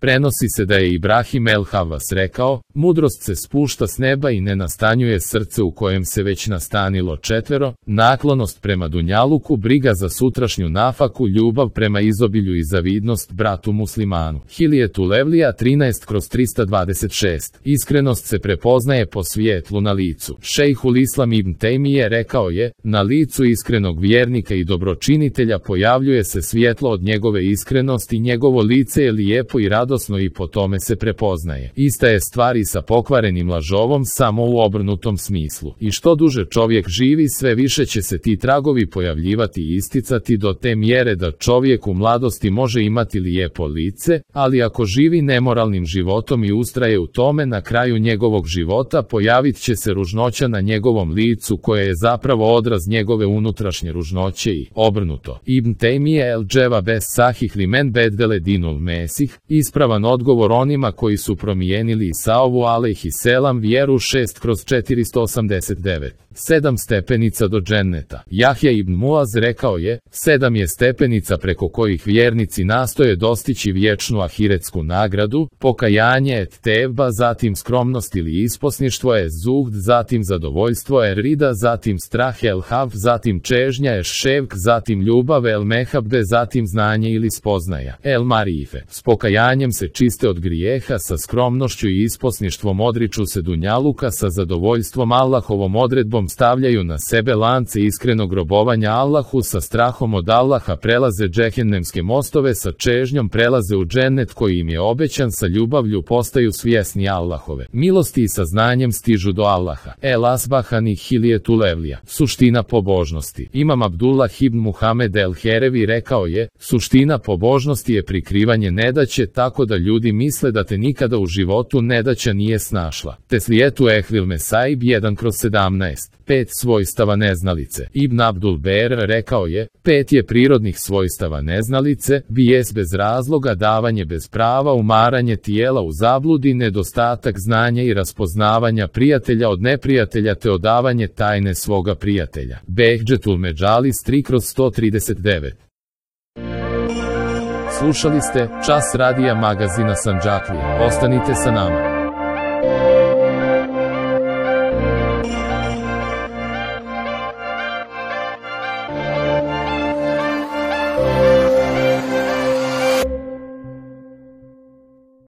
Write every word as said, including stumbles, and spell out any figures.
Prenosi se da je Ibrahim el-Havas rekao, mudrost se spušta s neba i ne nastanjuje srce u kojem se već nastanilo četvero, naklonost prema dunjaluku, briga za sutrašnju nafaku, ljubav prema izobilju i zavidnost bratu muslimanu. Hiljetu Levlija trinaest kroz trista dvadeset šest. Iskrenost se prepoznaje po svijetlu na licu. Šejhul Islam ibn Tejmije rekao je, na licu iskrenog vjernika i dobročinitelja pojavljuje se svjetlo od njegove iskrenosti, njegovo lice je lijepo i radosno i po tome se prepoznaje. Ista je stvar i sa pokvarenim lažovom, samo u obrnutom smislu. I što duže čovjek živi, sve više će se ti tragovi pojavljivati i isticati do te mjere da čovjek u mladosti može imati lijepo lice, ali ako živi nemoralnim životom i ustraje u tome, na kraju njegovog života pojavit će se ružnoća na njegovom licu koja je zapravo odraz njegove unutrašnje ružnoće i obrnuto. Ibn Tejmije el-Dževa bez sahih limen beddele dinul mesih, ispravan odgovor onima koji su promijenili Isaovu alejhiselam vjeru šest kroz četiristo osamdeset devet. Sedam stepenica do dženneta. Jahja ibn Muaz rekao je, sedam je stepenica preko kojih vjernici nastoje dostići vječnu ahiretsku nagradu, pokajanje et tevba, zatim skromnost ili isposništvo je zuhd, zatim zadovoljstvo je rida, zatim strah el haf, zatim čežnja je ševk, zatim ljubav el mehabbe, zatim znanje ili spoznaja el marife. S pokajanjem se čiste od grijeha, sa skromnošću i isposništvom odriču se dunjaluka, sa zadovoljstvom Allahovom odredbom stavljaju na sebe lance iskrenog robovanja Allahu, sa strahom od Allaha prelaze džehennemske mostove, sa čežnjom prelaze u džennet koji im je obećan, sa ljubavlju postaju svjesni Allahove milosti i sa znanjem stižu do Allaha. El Asbahani Hiljetu Levlija. Suština pobožnosti. Imam Abdullah ibn Muhamed el-Herevi rekao je, suština pobožnosti je prikrivanje nedaće tako da ljudi misle da te nikada u životu nedaća nije snašla. Teslijetu ehvil mesaib jedan kroz sedamnaest. Pet svojstava neznalice. Ibn Abdul Ber rekao je, pet je prirodnih svojstava neznalice, bijes bez razloga, davanje bez prava, umaranje tijela u zabludi, nedostatak znanja i raspoznavanja prijatelja od neprijatelja te odavanje tajne svoga prijatelja. Behđetul Međalis tri kroz sto trideset devet. Slušali ste Čas radija magazina Sandžaklije. Ostanite sa nama.